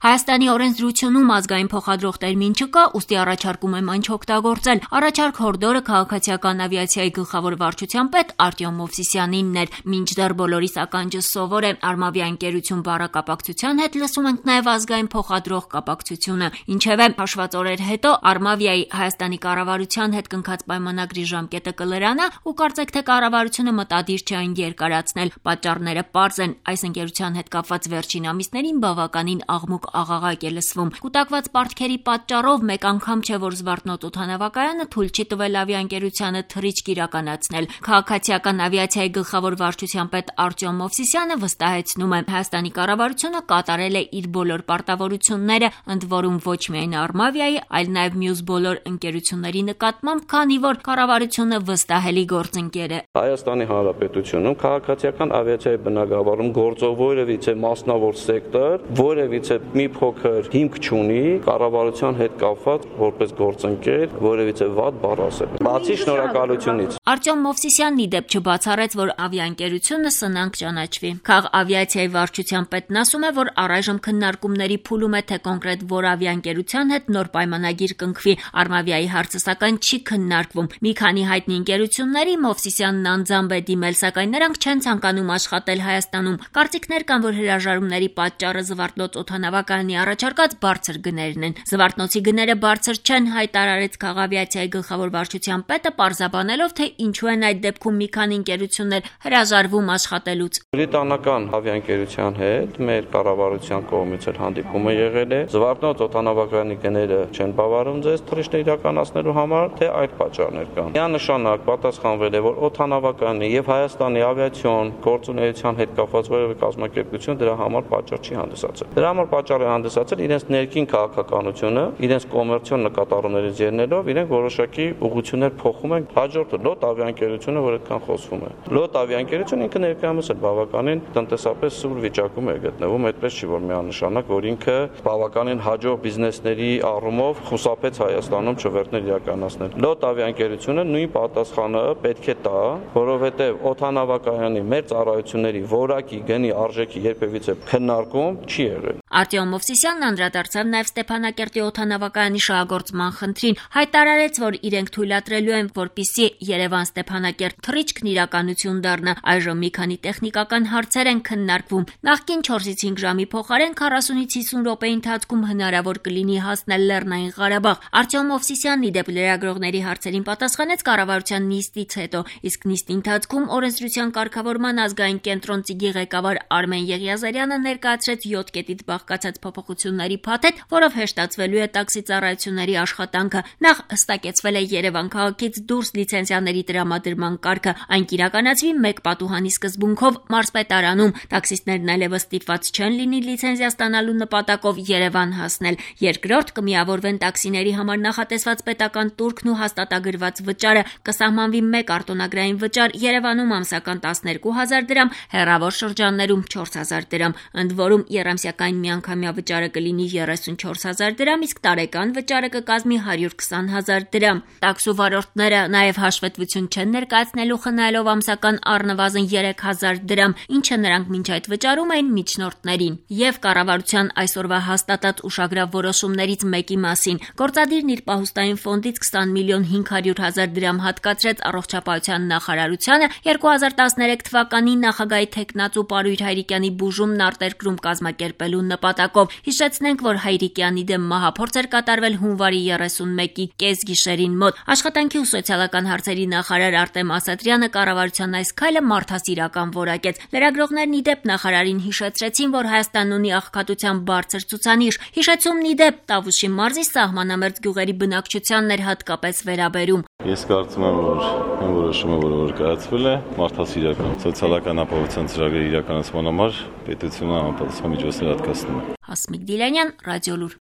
Հայաստանի օրենսդրությունում ազգային փոխադրող տերմին չկա, ուստի առաջարկում եմ այն չօգտագործել։ Առաջարկ հորդորը քաղաքացիական ավիացիայի գլխավոր վարչության պետ Արտյոմ Մովսիսյանինն էր։ Մինչդեռ բոլորիս ականջը սովոր է Արմավիա ընկերություն բառակապակցության հետ լսում ենք նաև ազգային փոխադրող կապակցությունը։ Ինչևէ, հաշված օրեր հետո Արմավիայի Հայաստանի կառավարության հետ կնքած պայմանագրի ժամկետը կլրանա ու կարծեք թե կառավարությունը մտադիր չէ այն երկարացնել։ Պատճառները պարզ են, այս ընկերության հետ կապված վերջին ամիսներին բավականին աղմուկ աղաղակ է լսվում։ Կուտակված պարտքերի պատճառով մեկ անգամ չէ, որ Զվարթնոց օդանավակայանը թույլ չի տվել ավիաընկերությանը թռիչք իրականացնել։ Քաղաքացիական ավիացիայի գլխավոր վարչության պետ Արտյոմ Մովսիսյանը վստահեցնում է, Հայաստանի կառավարությունը կատարել է իր բոլոր պարտավորությունները, ընդ որում ոչ միայն Արմավիայի, այլ նաև մյուս բոլոր ընկերությունների նկատմամբ, քանի որ կառավարությունը վստահելի գործընկեր է։ Հայաստանի Հանրապետությունում քաղաքացիական ավիացիայի բնագավառում գործող որևիցե մասնավոր սեկտոր, որևիցե մի փոքր հիմք չունի կառավարության հետ կապված որպես գործընկեր որևիցե վատ բառ ասել։ Բացի շնորհակալությունից։ Արտյոմ Մովսիսյանն ի դեպ չբացառեց, որ ավիաընկերությունը սնանկ ճանաչվի։ Քաղավիացիայի վարչության պետն ասում է, որ առայժմ քննարկումների փուլում է, թե կոնկրետ որ ավիաընկերության հետ նոր պայմանագիր կնքվի։ Արմավիայի հարցը սակայն չի քննարկվում։ Մի քանի հայտնի ընկերությունների Մովսիսյանն անձամբ է դիմել, սակայն նրանք չեն ցանկանում աշխատել Հայաստանում։ Կարծիքներ կան, որ հրաժարումների պատճառը Զվարթնոց օդանավակայանի առաջարկած բարձր գներն են։ Զվարթնոցի գները բարձր չեն, հայտարարեց քաղավիացիայի գլխավոր վարչության պետը, պարզաբանելով, թե ինչու են այդ դեպքում մի քանի ընկերություններ հրաժարվում աշխատելուց։ Բրիտանական ավիաընկերության հետ մեր կառավարության կողմից էլ հանդիպում է եղել է։ Զվարթնոց օդանավակայանի գները չեն բավարարում ձեզ թռիչքներ իրականացնելու համար, թե այլ պատճառներ կան։ Միանշանակ պատասխանվել է, որ օդանավակայանի եւ Հայաստանի ավիացիոն գործունեության հետ կապված որևէ կազմակերպություն դրա համար պատճառ չի հանդիսացել։ Դրա համար պատճառ է հանդիսացել իրենց ներքին քաղաքականությունը, իրենց կոմերցիոն նկատառումներից ելնելով, իրենք որոշակի ուղղություններ փոխում են։ Հաջորդը լոտ ավիաընկերությունը, որ այդքան խոսվում է։ Լոտ ավիաընկերությունը ինքը ներկայումս էլ բավականին տնտեսապես սուր վիճակում է գտնվում, այդպես չի որ միանշանակ, որ ինքը բավականին հաջող բիզնեսների առումով խուսափեց Հայաստանում չվերթներ իրականացնել։ Լոտ ավիաընկերությունը նույն պատասխանը պետք է տա, որովհետև օդանավակայանի մեր ծառայությունների որակի գնի արժեքի երբևիցե քննարկում չի եղել։ Արտյոմ Մովսիսյանն անդրադարձավ նաև Ստեփանակերտի օդանավակայանի շահագործման խնդրին, հայտարարեց, որ իրենք թույլատրելու են, որպեսզի Երևան-Ստեփանակերտ թռիչքն իրականություն դառնա։ Այժմ մի քանի տեխնիկական հարցեր են քննարկվում։ Նախկին 4-ից 5 ժամի փոխարեն 40-ից 50 րոպեի ընթացքում հնարավոր կլինի հասնել Լեռնային Ղարաբաղ։ Արտյոմ Մովսիսյանն ի դեպ լրագրողների հարցերին պատասխանեց կառավարության նիստից հետո, իսկ նիստի ընթացքում օրենսդրության կարգավորման ազգային կենտրոնի ղեկավար Արմեն Եղիազարյանը ներկայացրեց 7 կետից բաղկացած փոփոխությունների փաթեթ, որով հեշտացվելու է տաքսի ծառայությունների աշխատանքը։ Նախ հստակեցվել է Երևան քաղաքից դուրս լիցենզիաների տրամադրման կարգը, այն կիրականացվի մեկ պատուհանի սկզբունքով մարզպետարանում։ Տաքսիստներն այլևս ստիպված չեն լինի լիցենզիա ստանալու նպատակով Երևան հասնել։ Երկրորդ, կմիավորվեն տաքսիների համար նախատեսված պետական տուրքն ու հաստատագրված վճարը, կսահմանվի մեկ արտոնագրային վճար Երևանում ամսական 12,000 դրամ, հեռավոր շրջաններում 4,000 դրամ, ընդ որում եռամսյակային միանգամյա վճարը կլինի 34,000 դրամ, իսկ տարեկան վճարը կկազմի 120,000 դրամ։ Տաքսու վարորդները նաև հաշվետվություն չեն ներկայացնելու խնայելով ամսական առնվազն 3,000 դրամ, ինչը նրանք մինչ այդ վճարում էին միջնորդներին։ Եվ կառավարության այսօրվա հաստատած ուշագրավ որոշումներից մեկի մասին գործադիրն իր պահուստային ֆոնդից 20 միլիոն 500 հազար դրամ հատկացրեց առողջապահության նախարարությանը 2013 թվականի նախագահի թեկնածու Պարույր Հայրիկյանի բուժումն արտերկրում կազմակերպելու նպատակով։ Հիշեցնենք, որ Հայրիկյանի դեմ մահափորձ էր կատարվել հունվարի 31-ի կեսգիշերին մոտ։ Աշխատանքի ու սոցիալական հարցերի նախարար Արտեմ Ասատրյանը կառավարության այս քայլը մարդասիրական որակեց։ Լրագրողներն ի դեպ նախարարին հիշեցրեցին, որ Հայաստանն ունի աղքատության բարձր ցուցանիշ։ Հիշեցումն ի դեպ Տավուշի մարզի սահմանամերձ գյուղերի բնակչությանն էր հատկապես վերաբերում։ Ես կարծում եմ, որ այն որոշումը, որը կայացվել է, մարդասիրական սոցիալական ապահովության ծրագրերի իրականացման համար պետությունը համապատասխան միջոցներ հատկացնում է։ Հասմիկ Դիլանյան, Ռադիոլուր։